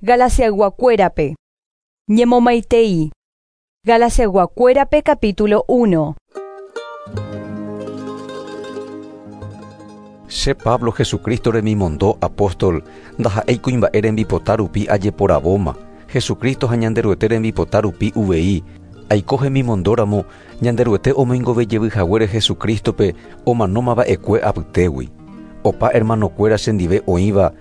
Galaciayguakuérape. Ñemomaitei. Galaciayguakuérape capítulo 1. Che Pablo Jesucristo remimondo apóstol, ndaha'éi kuimba'e rembipota rupi ajeporavóma, Jesucristo ha Ñanderuete rembipota rupi uvei, aiko hemimondóramo Ñanderuete omoingove jevy haguére Jesucristo-pe omanómava'ekue apytégui. Opa hermanokuéra chendive oĩva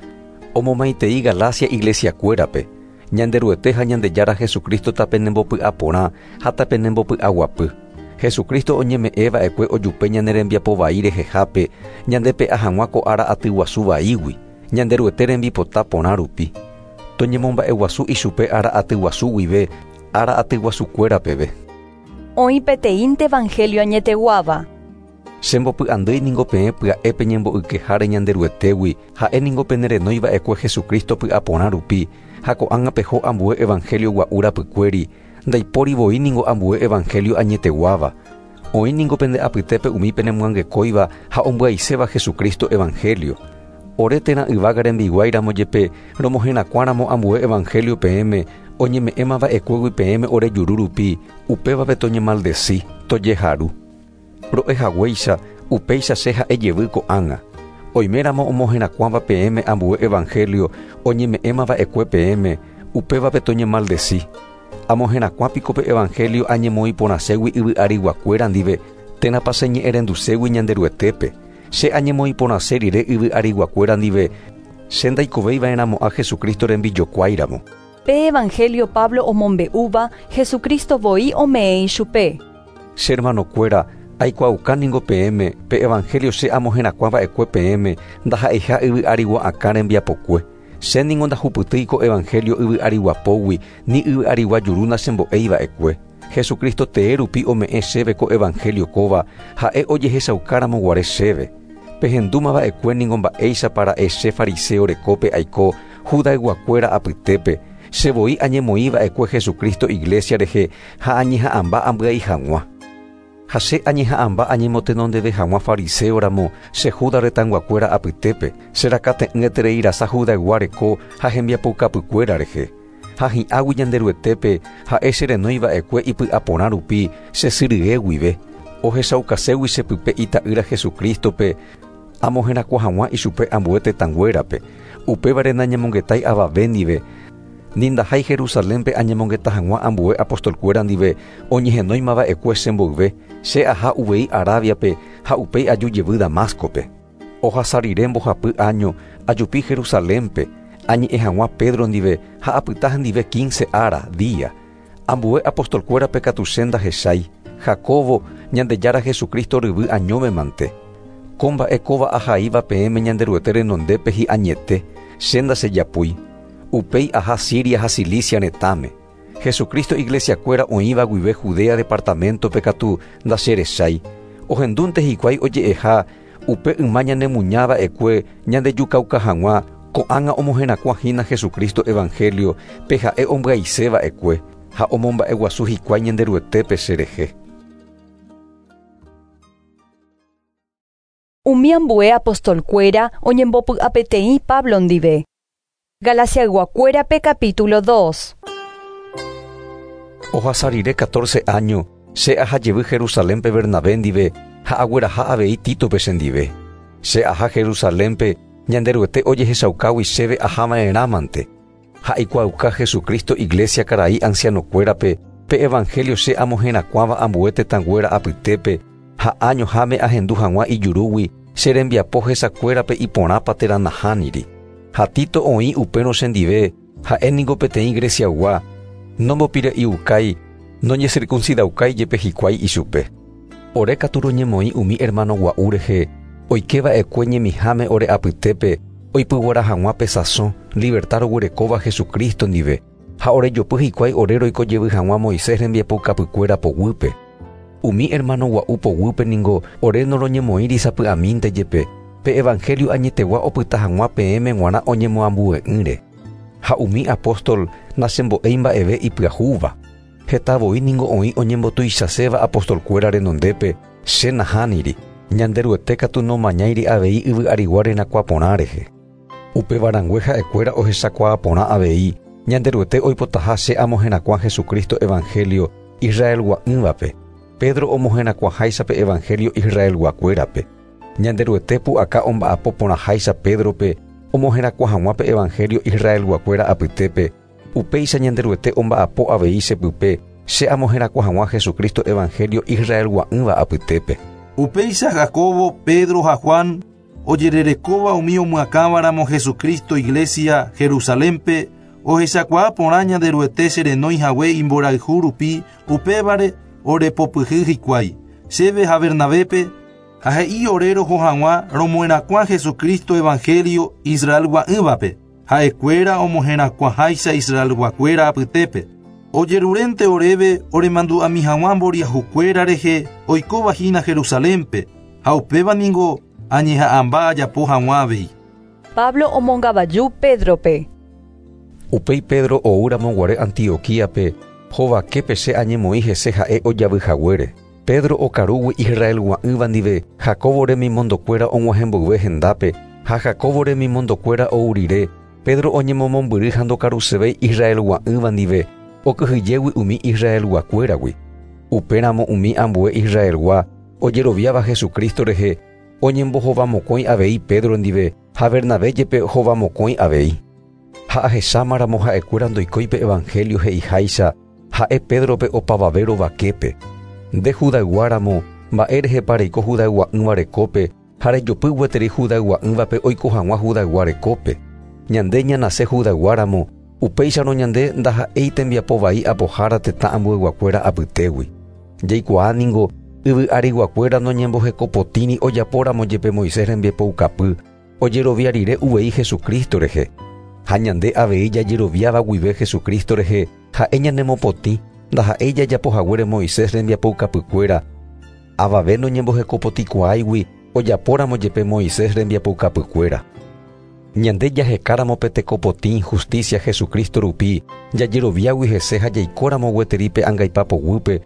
omomaitei Galacia iglesia-kuérape, Ñanderuete ha Ñandejára Jesucristo tapenembopy'aporã ha tapenembopy'aguapy. Jesucristo oñeme'ẽva'ekue ojupe ñane rembiapo vai rehehápe ñandepe'a hag̃ua ko ára aty guasu vaígui, Ñanderuete rembipota porã rupi. Toñemomba'eguasu ichupe ára aty guasu guive ára aty guasukuéra peve. Oĩ peteĩnte evangelio añeteguáva. Che mbopy'andýi ningo peẽ pya'e peñembo'ykeháre Ñanderuetégui, ha'e ningo penerenói va'ekue Jesucristo py'aporã rupi, ha ko'ág̃a peho ambue evangelio gua'u rapykuéri, ndaipóri voi ningo ambue evangelio añeteguáva. Oĩ ningo pende apytépe umi penemyangekóiva ha ombyaiséva Jesucristo evangelio. Ore térã yvága rembiguái ramo jepe romoherakuã ramo ambue evangelio peẽme, oñeme'ẽma va'ekuégui peẽme ore juru rupi, upévape toñemaldeci, tojeharu. Ro'e haguéicha, upéicha che ha'e jevy ko'ág̃a. Oime ramo omoherakuãva peẽme ambue evangelio oñeme'ẽma va'ekue peẽme, upévape toñemaldeci. Amoherakuã piko pe evangelio añemoĩ porãségui yvy ariguakuéra ndive, térãpa che ñe'ẽrenduségui Ñanderuetépe? Che añemoĩ porãse rire yvy ariguakuéra ndive, che ndaikovéi va'erãmo'ã Jesucristo rembijokuái ramo. Pe evangelio Pablo omombe'úva, Jesucristo voi ome'ẽ ichupe. Che hermanokuéra, aikuaauka ningo peẽme, pe evangelio che amoherakuã va'ekue peẽme ndaha'eiha yvy arigua akã rembiapokue. Che ningo ndahupytýi ko evangelio yvy arigua pógui, ni yvy arigua juru nachembo'éi va'ekue. Jesucristo tee rupi ome'ẽ chéve ko evangelio kóva, ha'e ojehechauka ramo guare chéve. Pehendúma va'ekue ningo mba'éichapa ra'e che fariseo rekópe aiko Judayguakuéra apytépe, che voi añemoĩ va'ekue Jesucristo iglesia rehe ha añeha'ãmba ambyai hag̃ua. Ha che añeha'ãmba añemotenondeve hag̃ua fariseo ramo che Juda retãyguakuéra apytépe, che rakate'ỹeterei rasa Judaygua reko ha hembiapoukapykuéra rehe. Ha hi'águi Ñanderuetépe, ha'e che renói va'ekue ipy'aporã rupi che sy rye guive, ohechaukaségui che pype Ita'ýra Jesucristo-pe, amoherakuã hag̃ua ichupe ambue tetãnguérape. Upévare nañemongetái avave ndive, ni ndahái Jerusalénpe añemongeta hag̃ua ambue apostolkuéra ndive oñehenóima va'ekue che mboyve, che aha uvei Arábiape ha upéi aju jevy Damáscope. Ohasa rire mbohapy áño ajupi Jerusalénpe, añe'ẽ hag̃ua Pedro ndive ha apyta hendive quince ára, día. Ambue apostolkuérape katu che ndahechái, Jacobo, Ñandejára Jesucristo ryvy añóme mante. Ko mba'e kóva ahaíva peẽme Ñanderuete renondépe hi'añete, che ndachejapúi. Upéi aha Siria ha Cilicia retãme. Jesucristo iglesiakuéra oĩva guive Judea departaméntope katu ndacherechái. Ohendúnte hikuái oje'eha upe yma ñanemuña va'ekue ñandejukauka hag̃ua, ko'ág̃a omoherakuã hína Jesucristo evangelio pe ha'e ombyaise va'ekue, ha omomba'eguasu hikuái Ñanderuetépe cherehe. Umi ambue apostolkuéra oñembopy'apeteĩ Pablo ndive. Galaciayguakuérape capítulo 2. Ohasa rire catorce áño, che aha jevy Jerusalénpe Bernabé ndive ha agueraha avei Títope chendive. Che aha Jerusalénpe Ñanderuete ojehechaukágui chéve aha va'erãmante. Ha aikuaauka Jesucristo iglésia karai ancianokuérape pe evangelio che amoherakuãva ambue tetãnguéra apytépe, ha añoháme ahendu hag̃ua ijurúgui che rembiapo hesakuérape iporãpa térã nahániri. Ha Tito oĩ upérõ chendive, ha'e ningo peteĩ Greciaygua, nombopire'iukái, noñesirkunsidaukái jepe hikuái ichupe. Ore katu roñemoĩ umi hermano gua'u rehe, oike va'ekue ñemiháme ore apytépe oipyguara hag̃ua pe sasõ, libertad roguerekóva Jesucristo ndive, ha orejopy hikuái ore roiko jevy hag̃ua Moisés rembiapoukapykuéra poguýpe. Umi hermano gua'u poguýpe ningo ore noroñemoĩri sapy'amínte jepe, pe evangelio añetegua opyta hag̃ua peẽme g̃uarã oñemoambue'ỹre. Ha umi apóstol nachembo'éi mba'eve ipyahúva. Heta voi ningo oĩ oñembotuichaséva apostolkuéra renondépe, che nahániri, Ñanderuete katu nomañáiri avei yvy arigua rerakuã porã rehe. Upéva rangue ha'ekuéra ohechakuaa porã avei, Ñanderuete oipotaha che amoherakuã Jesucristo evangelio Israelgua'ỹvape. Pedro omoherakuãháicha pe evangelio Israelguakuérape. Ñanderuete pu'aka omba'apo porãháicha Pedrope omoherakuã hag̃ua pe evangelio Israelguakuéra apytépe. Upéicha Ñanderuete omba'apo avei chepype che amoherakuã hag̃ua Jesucristo evangelio Israelgua'ỹva apytépe. Upéicha Jacobo, Pedro ha Juan ojererekóva umi omyakãvaramo Jesucristo iglesia Jerusalénpe ohechakuaa porã Ñanderuete cherenói hague imborayhu rupi upévare orepopyhy hikuái chéve ha Bernabépe ha he'i ore roho hag̃ua romoherakuã Jesucristo evangelio Israelgua'ỹvape ha'ekuéra omoherakuãháicha Israelguakuéra apytépe ojerurénte oréve oremandu'ami hag̃ua mboriahukuéra rehe oikóva hína Jerusalénpe ha upéva ningo añeha'ãmba ajapo hag̃ua avei. Pablo omongavaju Pédrope. Upéi Pedro oúramo guare Antioquíape hovaképe che añemoĩ hese ha'e ojavyhaguére. Pedro okarúgui Israelgua'ỹva ndive Jacobo remimondokuéra og̃uahẽmboyve hendápe ha Jacobo remimondokuéra ou rire Pedro oñemomombyry ha ndokarusevéi Israelgua'ỹva ndive okyhyjégui umi Israelguakuéragui. Upéramo umi ambue Israelgua ojeroviáva Jesucristo rehe oñembohovamokõi avei Pedro ndive ha Bernabé jepe hovamokõi avei. Ha ahechámaramo ha'ekuéra ndoikói pe evangelio he'iháicha ha'e Pedrope opavave rovaképe. Nde Judayguáramo mba'e rehepa reiko Judaygua'ỹva rekópe ha rejopy gueteri Judaygua'ỹvape oiko hag̃ua Judaygua rekópe. Ñande ñanase Judayguáramo upéicharõ ñande ndaha'éi tembiapo vai apohára tetã ambueyguakuéra apytégui. Jaikuaa ningo yvy ariguakuéra noñembohekopotĩri ojapóramo jepe Moisés rembiapoukapy ojerovia rire uvei Jesucristo rehe. Ha ñande avei jajeroviáva guive Jesucristo rehe ha'e ñanemopotĩ ndaha'éi jajapohaguére Moisés rembiapoukapykuéra avave noñembohekopotĩkuaáigui ojapóramo jepe Moisés rembiapoukapykuéra. Ñande jahekáramo pe tekopotĩ justicia Jesucristo rupi jajeroviágui hese ha jaikóramo gueteri pe angaipa poguýpe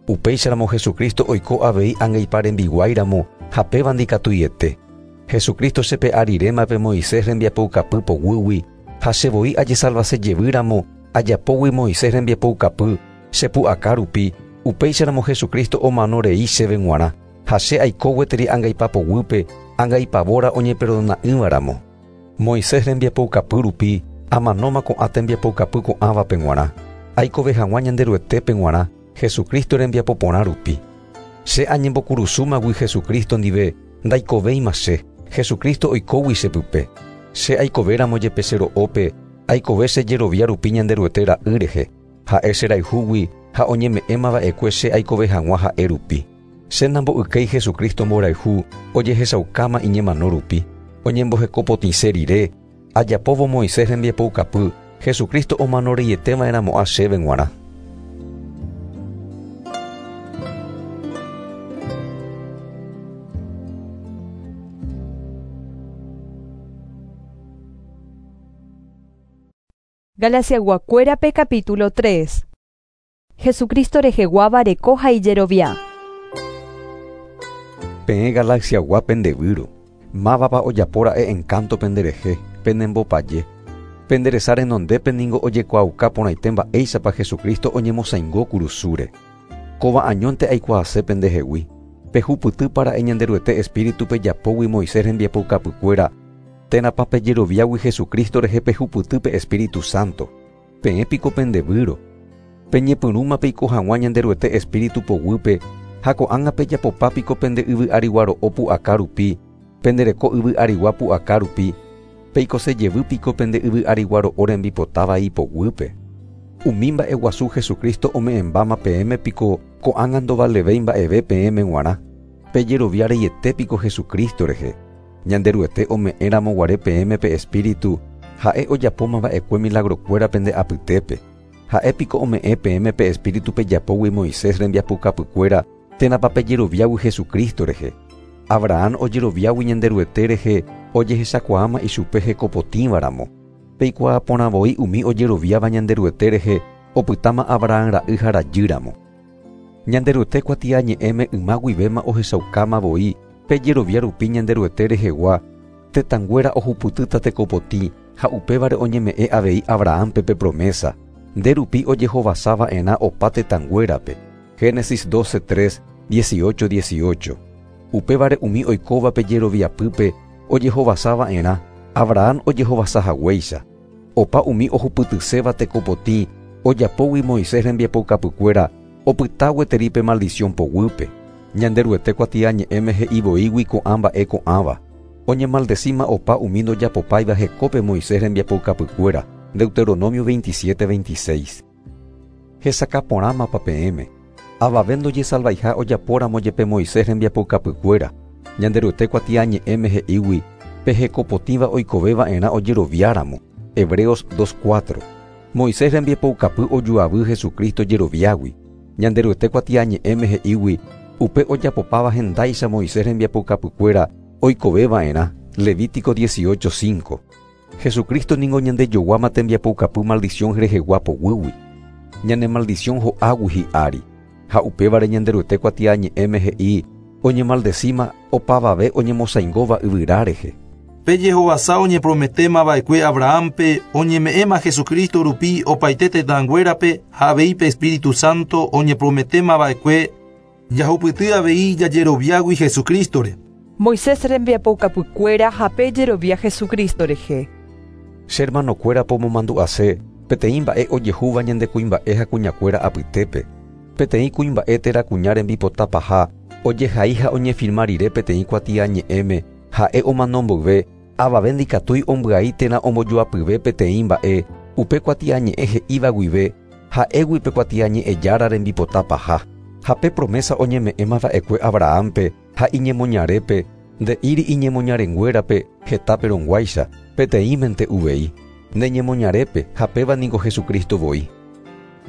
upéicharamo Jesucristo oiko avei angaipa rembiguáiramo ha péva ndikatuiete. Jesucristo chepe'a riréma pe Moisés rembiapoukapy poguýgui ha chevoi ajesalvase jevýramo ajapógui Moisés rembiapoukapy chepu'aka rupi upéicharamo Jesucristo omano rei chéve g̃uarã ha che aiko gueteri angaipa poguýpe angaipavóra oñeperdona'ỹvaramo. Moisés rembiapoukapy rupi amanóma ko'ã tembiapoukapy ko'ãvape g̃uarã aikove hag̃ua Ñanderuetépe g̃uarã Jesucristo rembiapo porã rupi. Che añembokurusúmagui Jesucristo ndive ndaikovéima che Jesucristo oikógui chepype. Che aikovéramo jepe che ro'ópe aikove che jerovia rupi Ñanderuete ra'y rehe ha'e cherayhúgui ha oñeme'ẽmava'ekue che aikove hag̃ua ha'e rupi. Che nambo'ykéi Jesucristo mborayhu ojehechaukáma iñemano rupi. Oñembohekopotĩse rire ajapóvo Moisés rembiapoukapy Jesucristo omano reieteva'erãmo'ã chéve g̃uarã. Galaciaguakuérape capítulo 3. Jesucristo reheguáva reko ha ijerovia. Peẽ Galaciagua pendevyro. Mávapa ojapóra'e encanto penderehe, penembopaje. Penderesa renondépe ningo ojekuaauka porãite mba'éichapa Jesucristo oñemosãingo kurusúre. Kóva añónte aikuaase pendehegui. Pehupytýpara'e Ñanderuete Espíritu pejapógui Moisés rembiapoukapykuéra térãpa pejeroviágui Jesucristo rehe pehupyty pe Espíritu Santo. Peẽ piko pendevyro. Peñepyrũma peiko hag̃ua Ñanderuete Espíritu poguýpe ha ko'ág̃a pejapopa piko pende yvy arigua ro'o pu'aka rupi, pendereko yvy arigua pu'aka rupi, peikose jevy piko pende yvy arigua ro'o rembipotáva ipoguýpe. Umi mba'eguasu Jesucristo ome'ẽmbáma peẽme piko ko'ág̃a ndovalevéi mba'eve peẽme g̃uarã. Pejerovia reiete piko Jesucristo rehe. Ñanderuete ome'ẽramo guare peẽme pe Espíritu ha'e ojapómava'ekue milagrokuéra pende apytépe. Ha'e piko ome'ẽ peẽme pe Espíritu pejapógui Moisés rembiapoukapykuéra térãpa pejeroviágui Jesucristo rehe. Abraham ojeroviágui Ñanderuete rehe ojehechakuaáma ichupe hekopotĩvaramo. Peikuaa porã voi umi ojeroviáva Ñanderuete rehe opytáma Abraham ra'y ha rajýramo. Ñanderuete kuatiañe'ẽme yma guivéma ohechaukáma voi pejerovia rupi Ñanderuete rehegua tetãnguéra ohupytýta tekopotĩ Ha upévare oñeme'ẽ avei Abrahampe pe promesa, nde rupi ojehovasava'erã opa tetãnguérape. Génesis 12:3, 18:18. Upévare umi oikóvape jeroviapýpe ojehovasava'erã, Abraham ojehovasahaguéicha. Opa umi ohupytyséva tekopotĩ ojapógui Moisés rembiapoukapykuéra opyta gueteri pe maldición poguýpe. Ñanderuete kuatiañe'ẽme he'ivoígui ko'ã mba'e ko'ãva. Oñemaldecíma opa umi ndojapopáiva hekópe Moisés rembiapoukapykuéra. Deuteronomio 27:26. Hesakãporãmapa peẽme. Avave ndojesalvaiha ojapóramo jepe Moisés rembiapoukapykuéra. Ñanderuete kuatiañe'ẽme he'ígui pe hekopotĩva oikoveva'erã ojeroviáramo. Hebreos 2:4. Moisés rembiapoukapy ojuavy Jesucristo jeroviágui. Ñanderuete kuatiañe'ẽme he'ígui upe ojapopáva hendáicha Moisés rembiapoukapykuéra oikoveva'erã. Levítico 18:5. Jesucristo ningo ñandejoguáma tembiapoukapy maldición rehegua poguýgui. Ñane maldición ho'águi hi'ári. Ha upévare Ñanderuete kuatiañe'ẽme he'i oñemaldecíma opavave oñemosaingóva yvyra rehe. Pe jehovasa oñeprometémava'ekue Abrahampe oñeme'ẽma Jesucristo rupi opaite tetãnguérape ha avei pe Espíritu Santo oñeprometémava'ekue jahupyty avei jajeroviágui Jesucristore. Moisés rembiapoukapykuéra ha pe jerovia Jesucristo rehe. Che hermanokuéra pomomandu'ase peteĩ mba'e ojehúva ñande kuimba'e ha kuñakuéra apytépe. Peteĩ kuimba'e térã kuña rembipotapaha ojehai ha oñefirma rire peteĩ kuatiañe'ẽme ha'e omano mboyve avave ndikatúi ombyai térã ombojoapyve peteĩ mba'e upe kuatiañe'ẽ he'íva guive ha'égui pe kuatiañe'ẽjára rembipotapaha. Ha pe promesa oñeme'ẽmava'ekue Abrahampe ha iñemoñarépe nde'íri iñemoñarenguérape hetápe rõguáicha peteĩmente uvei. Neñemoñarépe ha péva niko Jesucristo voi.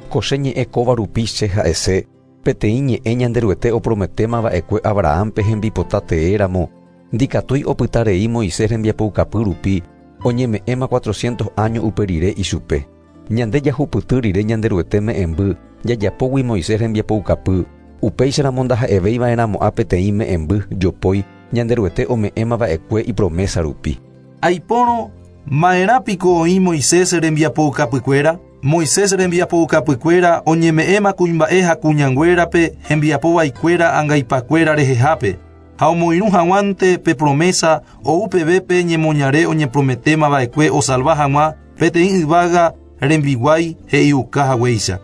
Ko che ñe'ẽ kóva rupi che ha'ese peteĩ ñe'ẽ Ñanderuete oprometémava'ekue Abrahampe hembipota teéramo ndikatúi opytarei Moisés rembiapoukapy rupi oñeme'ẽma 400 año upe rire ichupe. Ñande jahupyty rire Ñanderuete me'ẽmby jajapógui Moisés rembiapoukapy upéicharamo ndaha'evéiva'erãmo'ã peteĩ me'ẽmby jopói Ñanderuete ome'ẽmava'ekue ipromesa rupi. Aipórõ ma'erãpiko oĩ Moisés rembiapoukapykuéra? Moisés rembiapoukapykuéra oñeme'ẽma kuimba'e ha kuñanguérape hembiapovaikuéra angaipakuéra rehehápe. Ha omoirũ hag̃uánte pe promesa ou peve pe ñemoñare oñeprometémava'ekue osalva hag̃ua peteĩ yvága rembiguái he'iuka haguéicha.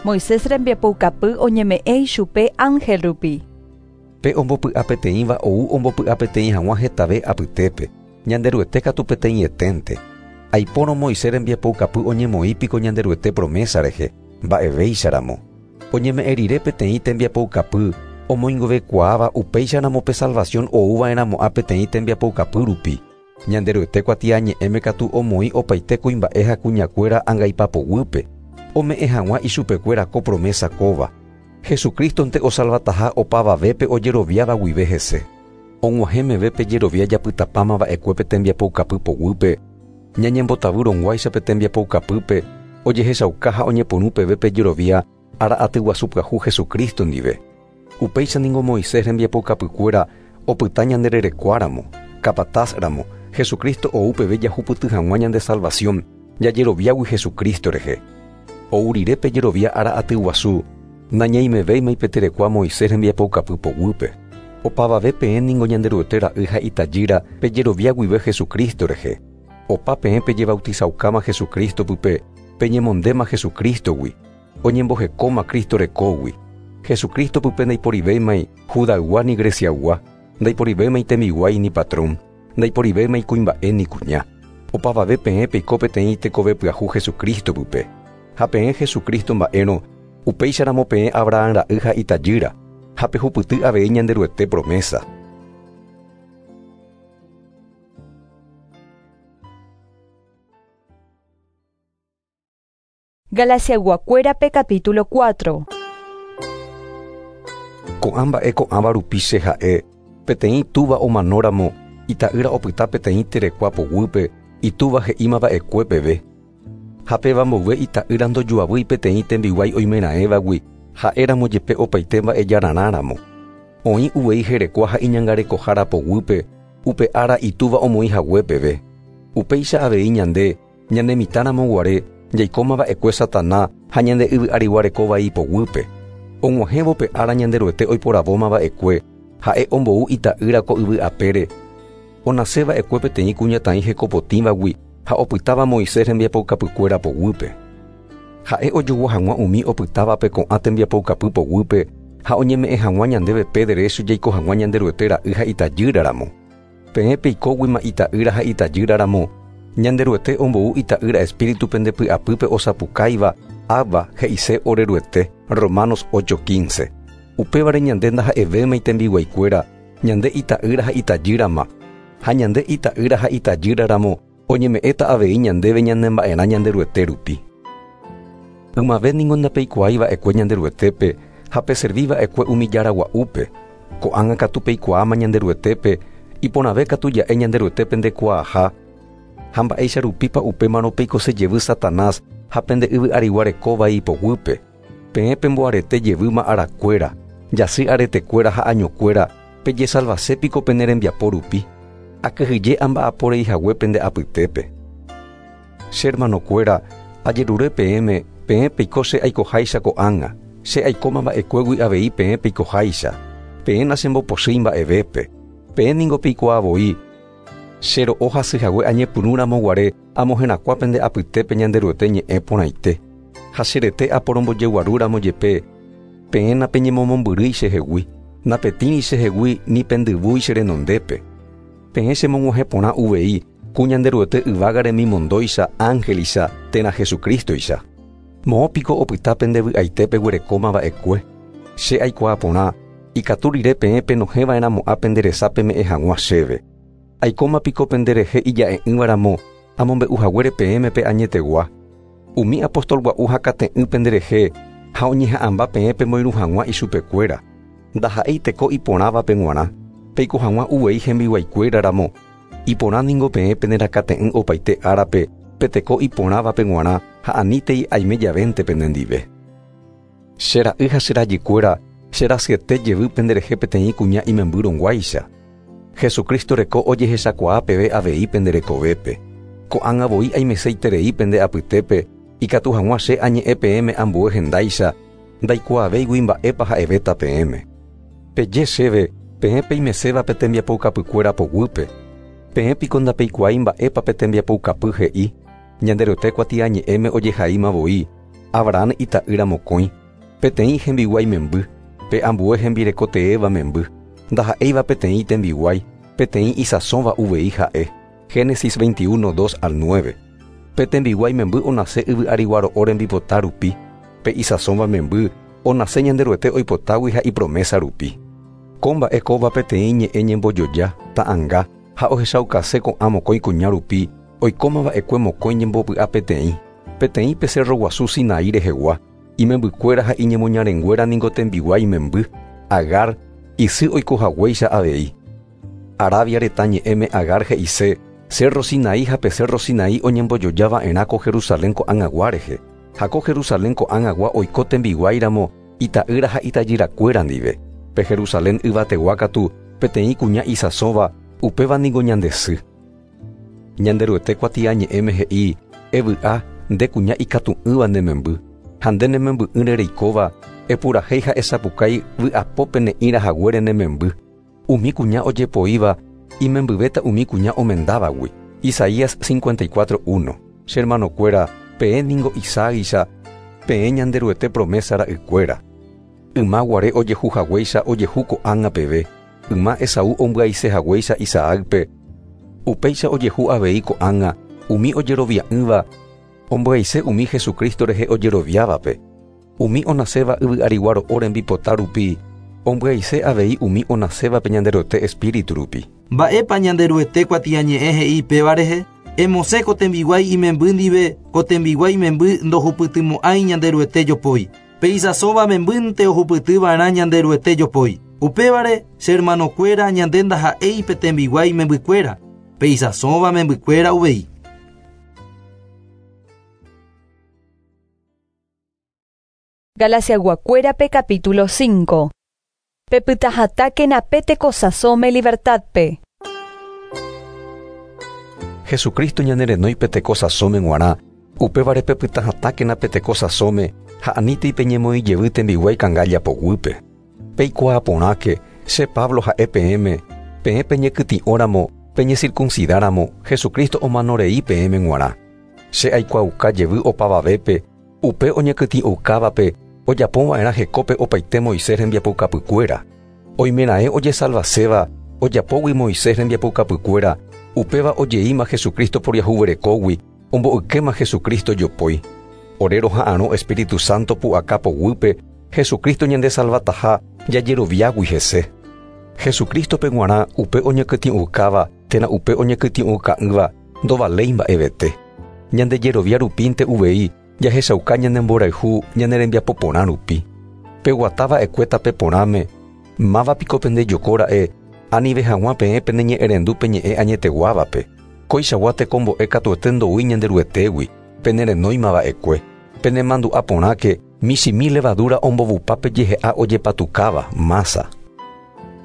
Moisés rembiapoukapy oñeme'ẽ ichupe ángel rupi. Pe ombopy'apeteĩva ou ombopy'apeteĩ hag̃ua hetave apytépe. Ñanderuete katu peteĩeténte. Aipórõ Moisés rembiapoukapy oñemoĩpiko Ñanderuete promesa rehe, mba'evéicharamo. Oñeme'ẽ rire peteĩ tembiapoukapy omoingovekuaáva upéicharamo pe salvación ouva'erãmo'ã peteĩ tembiapoukapy rupi. Ñanderuete kuatiañe'ẽme katu omoĩ opaite kuimba'e ha kuñakuéra angaipapoguýpe. Ome'ẽ hag̃ua ichupekuéra ko promesa kóva. Jesucristonte osalvataha opavavépe ojeroviáva guive hese. Og̃uahẽmeve pe jerovia japytapámava'ekue pe tembiapoukapy poguýpe, ñañembotavyrõguáicha pe tembiapoukapýpe ojehechauka ha oñepyrũ peve pe jerovia ára aty guasu pyahu Jesucristo ndive. Upéicha ningo Moisés rembiapoukapykuéra opyta ñandererekuáramo, capatazramo, Jesucristo ou peve jahupyty hag̃ua ñande salvación jajeroviágui Jesucristo rehe. Ou rire pe jerovia ára aty guasu nañaimevéima ipeterekua Moisés rembiapoukapy poguýpe. Opavave peẽ ningo Ñanderuete ra'y ha itajýra pejerovia guive Jesucristo rehe. Opa peẽ pejebautizaukáma Jesucristo pype peñemondéma Jesucristogui, oñembohekóma Cristo rekógui. Jesucristo pype ndaiporivéimai Judaygua ni Greciaygua, ndaiporivéimai tembiguái ni patrón, ndaiporivéimai kuimba'e ni kuña. Opavave peẽ peiko peteĩ tekove pyahu Jesucristo pype. Ha peẽ Jesucristo mba'érõ upéicharamo peẽ Abraham ra'y ha itajýra, ha pehupyty avei Ñanderuete promesa. Galaciayguakuérape capítulo 4. Ko'ã mba'e ko'ãva rupi che ha'e peteĩ túva omanóramo ita'ýra opyta peteĩ terekua poguýpe itúva he'ímava'ekue peve. Ha péva mboyve ita'ýra ndojuavýi peteĩ tembiguái oimeraẽvagui ha'éramo jepe opaite mba'ejararãramo. Oĩ uvei herekua ha iñangarekohára poguýpe upe ára itúva omoĩ hague peve. Upéicha avei ñande, ñane mitãramo guare, jaikóma va'ekue Satana ha ñande yvy arigua reko vai poguýpe. Og̃uahẽvo pe ára Ñanderuete oiporavóma va'ekue, ha'e ombou ita'ýra ko yvy apére, onase va'ekue peteĩ kuñataĩ hekopotĩvagui ha opytáva Moisés rembiapoukapykuéra poguýpe. Ha'e ojogua hag̃ua umi opytávape ko'ã tembiapoukapy poguýpe ha oñeme'ẽ hag̃ua ñandéve pe derecho jaiko hag̃ua Ñanderuete ra'y ha itajýraramo. Peẽ peikóguima ita'ýra ha itajýraramo, Ñanderuete ombou ita'ýra espíritu pende py'apýpe osapukáiva Abba he'ise Oreruete, Romanos 8:15. Upévare ñande ndaha'evéma itembiguaikuéra, ñande ita'ýra ha itajýrama. Ha ñande ita'ýra ha itajýraramo oñeme'ẽta avei ñandéve ñanemba'erã Ñanderuete rupi. Ymave ningo ndapeikuaái va'ekue Ñanderuetépe ha peservi va'ekue umi jára gua'úpe. Ko'ág̃a katu peikuaáma Ñanderuetépe, iporãve katu ja'e Ñanderuetépe ndekuaaha, ha mba'éicha rupípa upémarõ peikose jevy Satanás ha pende yvy arigua reko vai poguýpe. Peẽ pemboarete jevýma arakuéra, jasy aretekuéra ha añokuéra, pejesalvase piko pene rembiapo rupi. Akyhyje amba'apo rei hague pende apytépe. Che hermanokuéra, ajerure peẽme, peẽ peiko che aikoháicha ko'ág̃a, che aikóma va'ekuégui avei peẽ peikoháicha. Peẽ nachembopochýi mba'evépe. Peẽ ningo peikuaa voi, che ro'o hasy hague añepyrũramo guare amoherakuã pende apytépe Ñanderuete ñe'ẽ porãite. Ha cherete aporombojeguarúramo jepe, peẽ napeñemomombyrýi chehegui, napetĩri chehegui ni pendyvúi che renondépe. Peẽ chemog̃uahẽ porã uvei ku Ñanderuete yvága remimondóicha ángelicha térã Jesucristoicha. Moõ piko opyta pende vy'aite peguerekóma va'ekue. Che aikuaa porã, ikatu rire peẽ penohẽva'erãmo'ã pende resa peme'ẽ hag̃ua chéve. Aikóma piko penderehe ija'e'ỹvaramo amombe'u haguére peẽme pe añetegua. Umi apóstol gua'u hakate'ỹ penderehe ha oñeha'ãmba peẽ pemoirũ hag̃ua ichupekuéra. Ndaha'éi teko iporãvape g̃uarã, peiko hag̃ua uvei hembiguaikuéraramo. Iporã ningo peẽ penerakate'ỹ opaite árape pe teko iporãvape g̃uarã ha anítei aime javénte penendive. Che ra'y ha che rajykuéra, che rasyete jevy penderehe peteĩ kuña imembýrõguáicha. Jesucristo reko ojehechakuaa peve avei pende rekovépe. Ko'ág̃a voi aimeseiterei pende apytépe, ikatu hag̃ua che añe'ẽ peẽme ambue hendáicha, ndaikuaavéigui mba'épa ha'evéta peẽme. Peje chéve, peẽ peimeséva pe tembiapoukapykuéra poguýpe. Peẽ piko ndapeikuaái mba'épa pe tembiapoukapy he'i, Ñanderuete kuatiañe'ẽme ojehaíma voi, Abraham ita'ýra mokõi, peteĩ hembiguái memby, pe ambue hembireko teéva memby, ndaha'éiva peteĩ tembiguái, peteĩ isãsóva uvei ha'e. Génesis 21, 2 al 9. Pe tembiguái memby onase yvy arigua ro'o rembipota rupi, pe isãsóva memby onase Ñanderuete oipotágui ha ipromesa rupi. Ko mba'e kóva peteĩ ñe'ẽ ñembojoja, ta'anga, ha ohechaukase ko'ã mokõi kuña rupi, oikóma va'ekue mokõi ñembopy'a peteĩ, peteĩ pe cerro guasu Sinaí rehegua, imembykuéra ha iñemoñarenguéra ningo tembiguái memby, Agar, isy oikohaguéicha avei. Arabia retã ñe'ẽme Agar he'ise, Cerro Sinaí ha pe Cerro Sinaí oñembojoja va'erã ko Jerusalén ko'ág̃agua rehe, ha ko Jerusalén ko'ág̃agua oiko tembiguáiramo ita'ýra ha itajyrakuéra ndive. Pe Jerusalén yvategua katu peteĩ kuña isãsóva, upéva ningo ñande sy. Ñanderuete kuatiañe'ẽme he'i, Evy'a, nde kuña ikatu'ỹva ne memby, ha nde ne memby'ỹre reikóva, epurahéi ha esapukái vy'apópe ne'ĩra haguére ne memby. Umi kuña ojepoíva imembyvéta umi kuña omendávagui. Isaías 54:1. Che hermanokuéra, peẽ ningo Isaáicha, peẽ Ñanderuete promesa ra'ykuéra. Yma guare ojehu haguéicha ojehu ko'ág̃a peve, yma Esaú ombyaise haguéicha Isaácpe, upéicha ojehu avei ko'ág̃a umi ojerovia'ỹva ombyaise umi Jesucristo rehe ojeroviávape. Umi onaséva yvy arigua ro'o rembipota rupi, ombyaise avei umi onasévape Ñanderuete espíritu rupi. Mba'épa Ñanderuete kuatiañe'ẽ he'i péva rehe? Emosẽ ko tembiguái imemby ndive, ko tembiguái memby ndohupytymo'ãi Ñanderuete jopói. Pe isãsóva membýnte ohupytyva'erã Ñanderuete jopói. Upévare, che hermanokuéra, ñande ndaha'éi pe tembiguái membykuéra, pe isãsóva membykuéra uvei. Galaciaguakuérape capítulo 5. Pepytahatãkena pe tekosãsóme libertadpe. Jesucristo ñanerenói pe teko sãsóme g̃uarã, upévare pepyta hatãkena pe teko sãsóme ha anítei peñemoĩ jevy tembiguái kangálla poguýpe. Peikuaa porãke, che Pablo ha'e peẽme, peẽ peñekytĩ'óramo, peñecircuncidáramo, Jesucristo omanorei peẽme g̃uarã. Che aikuaauka jevy opavavépe, upe oñekytĩ'oukávape ojapova'erã hekópe opaite Moisés rembiapoukapykuéra. Oimeraẽ ojesalvaséva ojapógui Moisés rembiapoukapykuéra, upéva ojeíma Jesucristo poriahuverekógui, ombo'ykéma Jesucristo jopói. Ore roha'arõ Espíritu Santo pu'aka poguýpe Jesucristo ñandesalvataha jajeroviágui hese. Jesucristo-pe g̃uarã upe oñekytĩ'oukáva térã upe oñekytĩ'ouka'ỹva ndovaléi mba'evete. Ñande jerovia rupínte uvei jahechauka ñane mborayhu ñane rembiapo porã rupi. Peguata va'ekue tape porãme, máva piko pendejoko ra'e anive hag̃ua peẽ peneñe'ẽrendu pe ñe'ẽ añeteguávape. Koichagua tekombo'e katuete ndoúi Ñanderuetégui, penerenóima va'ekue. Penemandu'a porãke michĩmi levadura ombovupa pe jehe'a ojepatukáva, masa.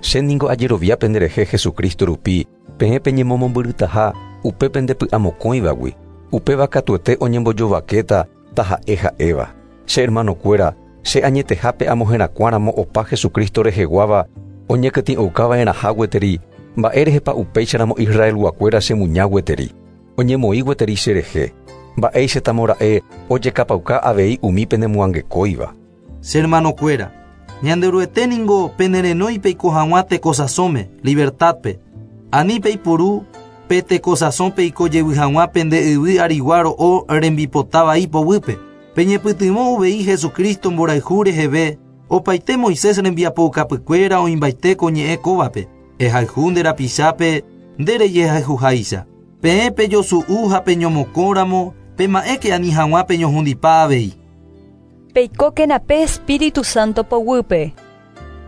Che ningo ajerovia penderehe Jesucristo rupi, peẽ peñemomombyrytaha upe pende py'amokõivagui, upéva katuete oñembojovakéta taha'e ha'éva. Che hermanokuéra, che añetehápe amoherakuãramo opa Jesucristo reheguáva oñekytĩ'oukava'erãha gueteri, mba'érehepa upéicharamo Israelguakuéra chemuña gueteri, oñemoĩ gueteri cherehe, mba'éichatamora'e ojekapauka avei umi penemoangekóiva. Che hermanokuéra, Ñanderuete ningo penerenói peiko hag̃ua tekosãsóme, libertad-pe. Ani peipuru pe tekosãsõ peiko jevy hag̃ua pende yvy arigua ro'o rembipota vai poguýpe. Peñepytyvõ uvei Jesucristo mborayhu reheve, opaite Moisés rembiapoukapykuéra oĩmbaite ko ñe'ẽ kóvape, Ehayhu nde rapichápe nde rejehayhuháicha. Peẽ pejosu'u ha peñomokõramo, pema'ẽke ani hag̃ua peñohundipa avei. Peikókena pe Espíritu Santo poguýpe.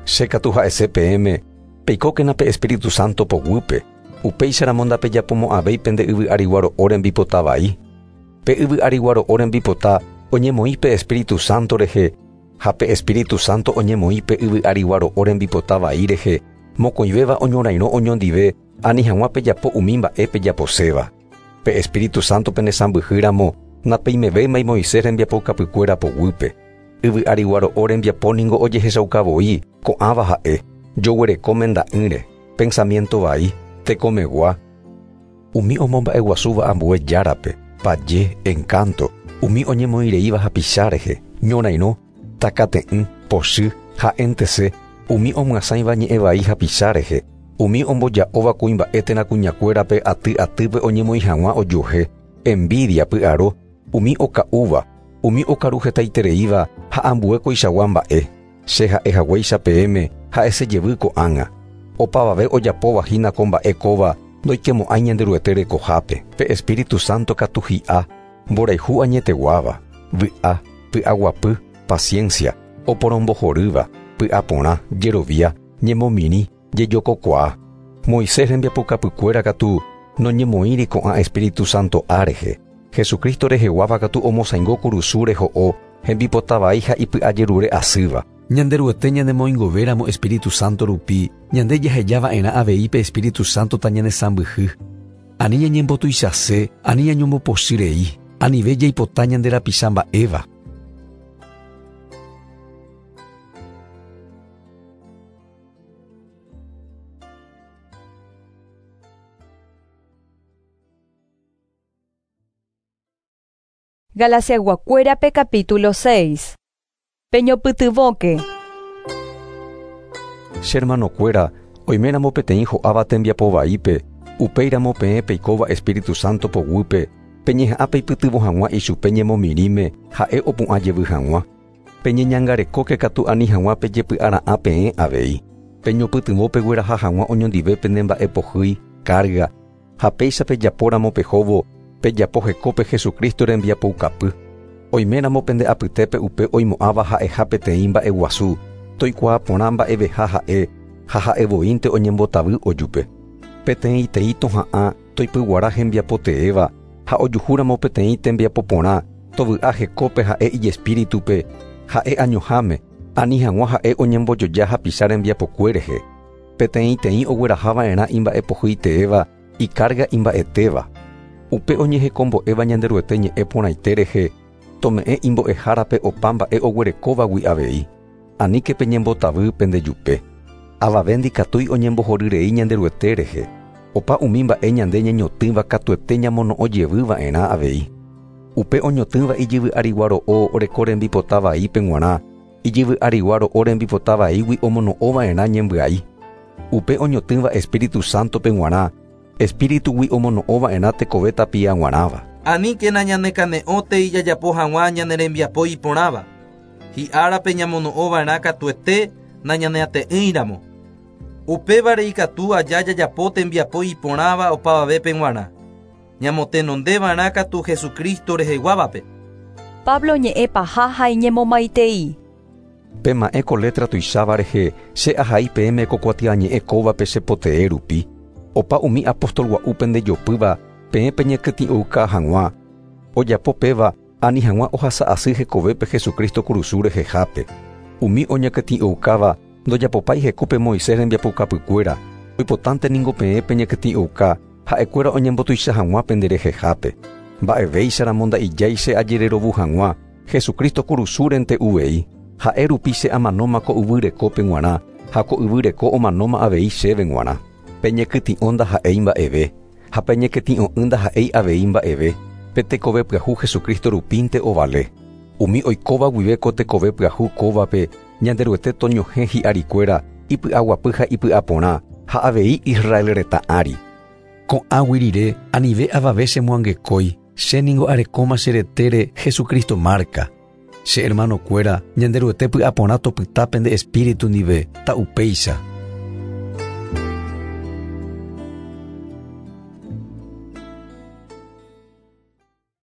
Che katu ha'ese peẽme, peikókena pe Espíritu Santo poguýpe, upéicharamo ndapejapomo'ãvéi pende yvy arigua ro'o rembipota vai. Pe yvy arigua ro'o rembipota oñemoĩ pe Espíritu Santo rehe, ha pe Espíritu Santo oñemoĩ pe yvy arigua ro'o rembipota vai rehe, mokõivéva oñorairõ oñondive ani hag̃ua pejapo umi mba'e pejaposéva. Pe Espíritu Santo penesãmbyhy ramo, napeimevéimai Moisés rembiapoukapykuéra poguýpe. Yvy arigua ro'o rembiapo ningo ojehechauka voi, ko'ãva ha'e, joguereko menda'ỹre, pensamiento vai, tekomegua, umi omomba'eguasúva ambue járape, paje, encanto, umi oñemoĩreíva hapicha rehe, ñorairõ, takate'ỹ, pochy, ha'éntese, umi omyasãiva ñe'ẽ vai hapicha rehe, umi omboja'óva kuimba'e térã kuñakuérape aty atýpe oñemoĩ hag̃ua ojuehe, envidia, py'aro, umi oka'úva, umi okaru hetaitereíva ha ambue koichagua mba'e. Che ha'e haguéicha peẽme ha'ese jevy ko'ág̃a. Opavave ojapóva hína ko mba'e kóva ndoikemo'ãi Ñanderuete rekohápe. Pe Espíritu Santo katu hi'a, mborayhu añeteguáva, vy'a, py'aguapy, paciencia, oporombohorýva, py'aporã, jerovia, ñemomirĩ, jejokokuaa. Moisés rembiapokapykuéra katu noñemoĩri ko'ã Espíritu Santo a rehe. Jesucristo reheguáva katu omosãingo kurusu reho'o, hembipota vai ha ipy'ajerure asýva. Ñanderuete ñanemoingovéramo Espíritu Santo rupi, ñande jaheja va'erã avei pe Espíritu Santo tañanesãmbyhy. Ani ñañembotuichase, ani ñañombopochy rei, anive jaipota ñande rapicha mba'éva. Galaciayguakuérape capítulo 6. Peñopytyvõke. Che hermanokuéra, oiméramo peteĩ ho'áva tembiapo vaípe, upéiramo peẽ peikóva Espíritu Santo poguýpe, peñeha'ã peipytyvõ hag̃ua ichupe ñemomirĩme ha'e opu'ã jevy hag̃ua. Peñeñangarekóke katu ani hag̃ua pejepy'ara'ã peẽ avei. Peñopytyvõ pegueraha hag̃ua oñondive pene mba'e pohýi, carga, ha péicha pejapóramo pehóvo, pejapo hekópe Jesucristo rembiapoukapy. Oiméramo pende apytépe upe oimo'ãva ha'eha peteĩ mba'eguasu, toikuaa porã mba'eveha ha'e ha ha'e voínte oñembotavy ojupe. Peteĩteĩ toha'ã toipyguara hembiapo teéva ha ojuhúramo peteĩ tembiapo porã, tovy'a hekópe ha'e ijespíritupe, ha'e añoháme, ani hag̃ua ha'e oñembojoja hapicha rembiapokue rehe. Peteĩteĩ ogueraha va'erã imba'epohýi teéva, icarga imba'etéva. Upe oñehekombo'éva Ñanderuete ñe'ẽ porãite rehe, tome'ẽ imbo'ehárape opa mba'e oguerekóvagui avei. Aníke peñembotavy pendejupe. Avave ndikatúi oñembohoryrei Ñanderuete rehe. Opa umi mba'e ñande ñañotỹva katuete ñamono'õ jevy va'erã avei. Upe oñotỹva ijyvy arigua ro'o oreko rembipota vaípe g̃uarã, ijyvy arigua ro'o rembipota vaígui omono'õ va'erã ñembyai. Upe oñotỹva Espíritu Santo-pe g̃uarã, Espíritugui omono'õ va'erã tekove tapia g̃uarãva. Aníkena ñanekane'õtei jajapo hag̃ua ñane rembiapo iporãva. Hi'árape ñamono'õ va'erã katuete nañaneate'ỹiramo. Upévare ikatu aja jajapo tembiapo iporãva opavavépe g̃uarã. Ñamotenondeva'erã katu Jesucristo reheguávape. Pablo ñe'ẽ paha ha iñemomaitei. Pema'ẽ ko letra tuicháva rehe che ahai peẽme ko kuatiañe'ẽ kóvape che potee rupi. Opa umi apóstol gua'u pendejopýva peẽ peñekytĩ'ouka hag̃ua. Ojapo péva ani hag̃ua ohasa asy hekovépe Jesucristo kurusu rehehápe. Umi oñekytĩ'oukáva ndojapopái hekópe Moisés rembiapokapykuéra. Oipotánte ningo peẽ peñekytĩ'ouka ha'ekuéra oñembotuicha hag̃ua penderehehápe. Mba'evéicharamo nda'ijái che ajererovu hag̃ua Jesucristo kurusúrente uvei. Ha'e rupi che amanóma ko yvy rekópe g̃uarã ha ko yvy reko omanóma avei chéve g̃uarã. Peñekytĩ'o ndaha'éi mba'eve ha peñekytĩ'o'ỹ ndaha'éi avei mba'eve. Pe tekove pyahu Jesucristo rupínte ovale. Umi oikóva guive ko tekove pyahu kóvape Ñanderuete toñohẽ hi'arikuéra ipy'aguapy ha ipy'aporã ha avei Israel retã ári. Ko'ãgui rire anive avave chemoangekói, che ningo arekóma che retére Jesucristo márka. Che hermanokuéra, Ñanderuete py'aporã topyta pende espíritu ndive, ta'upéicha.